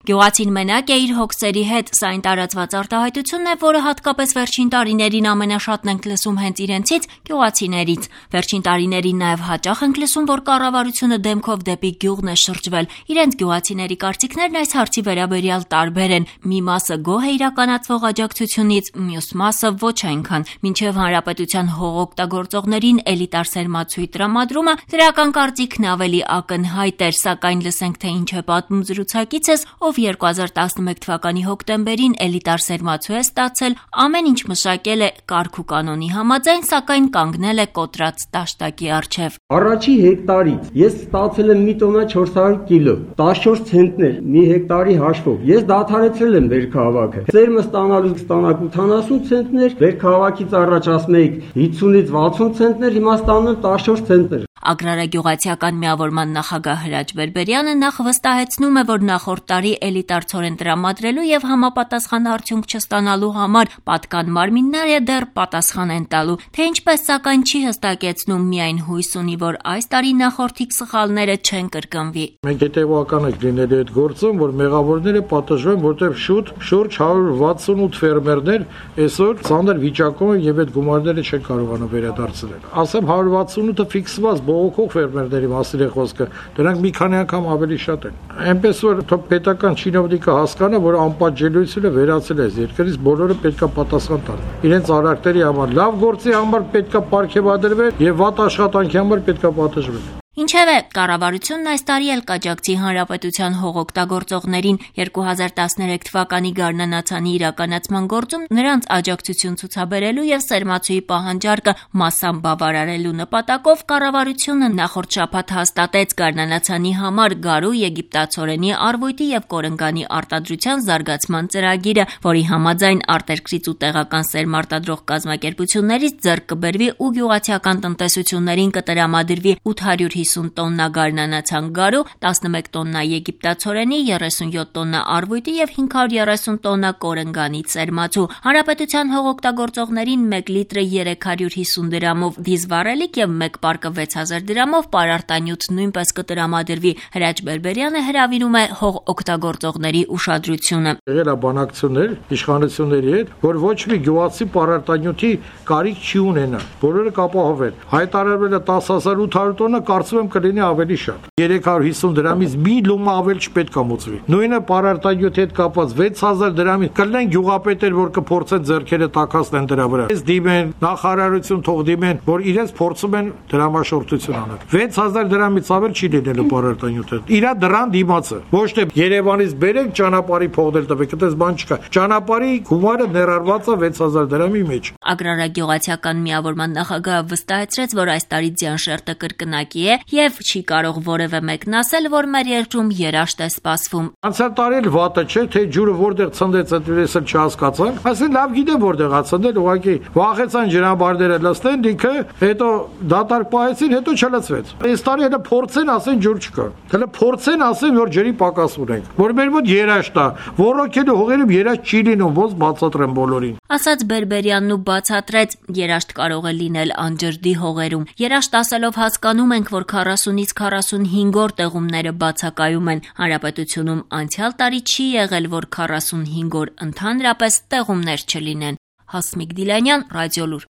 Գյուղացին մենակ է իր հոգսերի հետ, սա այն տարածված արտահայտությունն է, որը հատկապես վերջին տարիներին ամենաշատն ենք լսում հենց իրենցից գյուղացիներից։ Վերջին տարիներին նաև հաճախ ենք լսում, որ կառավարությունը դեմքով դեպի գյուղն է շրջվել։ Իրենց գյուղացիների կարծիքներն այս հարցի վերաբերյալ տարբեր են։ Մի մասը գոհ է իրականացվող աջակցությունից, մյուս մասը ոչ այնքան։ Մինչև հանրապետության հողօգտագործողներին էլիտար սերմացուի տրամադրումը դրական կարծիքն ավելի ակնհայտ էր, սակայն լսենք, թե ինչ է պատմում զրուցակիցս, ով 2011 թվականի հոկտեմբերին էլիտար սերմացու է ստացել, ամեն ինչ մշակել է կարգ ու կանոնի համաձայն, սակայն կանգնել է կոտրած տաշտակի առջև։ Առաջի հեկտարից ես ստացել եմ մի տոննա 400 կիլո, 14 ցենտներ մի հեկտարի հաշվով։ Ես դադարեցրել եմ վերքահավաքը։ Սերմը ստանալու ստանակ 80 ցենտներ, վերքահավաքից առաջ ասում էիք 50-ից 60 ցենտներ, հիմա ստանում եմ 14 ցենտներ։ Ագրարագյուղացիական միավորման նախագահ Հրաչ Բերբերյանը նախ վստահեցնում է, որ նախորդ տարի էլիտար ցորեն տրամադրելու եւ համապատասխան արդյունք չստանալու համար պատկան մարմինները դեռ պատասխան են տալու, թե ինչպես սակայն չի հստակեցնում, միայն հույս ունի, որ այս տարի նախորդիկ սխալները չեն կրկնվի։ Մենք հետևական ենք լինելու այդ գործում, որ մեղավորները պատժվեն, որտեղ շուտ շուրջ 168 ֆերմերներ այսօր ցաներ վիճակում են եւ այդ գումարները չեն կարողանում վերադարձնել։ Ասեմ 168-ը ֆիքսված բողոքող ֆերմերների մասին է խոսքը, դրանք մի քանի անգամ ավելի շատ են։ Այնպես որ պետական չինովնիկը հասկանա, որ անպատժելիությունը վերացել է այս երկրից, բոլորը պետքա պատասխան տան։ Իրենց արարքների համար լավ գործի համար պետքա պարգևադրվել եւ վատ աշխատանքի համար պետքա պատժվել։ Ինչևէ, կառավարությունն այս տարի էլ կաջակցի հանրապետության հողօգտագործողներին 2013 թվականի գարնանացանի իրականացման գործում նրանց աջակցություն ցուցաբերելու եւ սերմացուի պահանջարկը մասամբ բավարարելու նպատակով կառավարությունը նախորդ շաբաթ հաստատեց գարնանացանի համար գարու, եգիպտացորենի, արվույթի եւ կորնգանի արտադրության զարգացման ծրագիրը, որի համաձայն արտերկրից ու տեղական սերմարտադրող կազմակերպություններից ձեռք կբերվի ու գյուղացիական տնտեսություններին կտրամադրվի 850 տոննա գարնանացան գարու, 11 տոննա եգիպտացորենի, 37 տոննա արվույթի եւ 530 տոննա կորնգանի սերմացու։ Հանրապետության հողօգտագործողներին 1 լիտրը 350 դրամով դիզվառելիք եւ 1 պարկը 6000 դրամով պարարտանյութ նույնպես կտրամադրվի։ Հրաչ Բերբերյանը հրավիրում է հողօգտագործողների ուշադրությունը։ Եղել է բանակցություններ իշխանությունների հետ, որ ոչ մի գյուղացի պարարտանյութի կարիք չի ունենա։ Բոլորը կապահովեն։ Հայտարարվել է 10800 տոննա, կարծում եմ կլինի ավելի շատ։ 350 դրամից մի լումա ավել չպետք է մուծվի։ Նույնը պարարտանյութի հետ կապված 6000 դրամից կլինեն գյուղապետեր, որ կփորձեն ձեռքերը տակածեն դրա վրա։ Այս դիմեն նախարարություն թող դիմեն, որ իրենց փորձում են դրամաշորթություն անել։ 6000 դրամից ավել չի լինելու պարարտանյութը։ Իրա դրան դիմացը։ Ոչ թե Երևանից բերեք ճանապարհի փողնել տվեք, այդպես բան չկա։ Ճանապարհի գումարը ներառված է 6000 դրամի մեջ։ Ագրարագյուղացիական միավորման նախագահը վստահեցրեց, որ այս տարի ձյան շերտը կրկնակի է եւ չի կարող որևէ մեկն ասել, որ մեր երկրում երաշտ է սպասվում։ Անցյալ տարի էլ վատը չէ, թե ջուրը որտեղ ցնդեց, այդպես էլ չհասկացան։ Այսինքն լավ գիտեմ որտեղ է ցնդել, ուղղակի վախեցան ջրամբարները լցնեն, դիքը, հետո դատարկ պահեցին, հետո չլցվեց։ Այս տարի հետո փորձեն ասեն ջուր չկա։ Հələ փորձեն ասեն, որ ջրի պակաս ունենք, որ մեր մոտ երաշտ է, ոռոգելու հողերում երաշտ չի լինում, ոնց բացատրեմ բոլորին։ Ասաց Բերբերյանն ու բացատրեց, երաշտ կարող է լինել անջրդի հողերում։ Երաշտ ասելով հասկանում ենք, որ 40-ից 45 օր տեղումները բացակայում են։ Հանրապետությունում անցյալ տարի չի եղել, որ 45 օր ընդհանրապես տեղումներ չլինեն։ Հասմիկ Դիլանյան, Ռադիոլուր։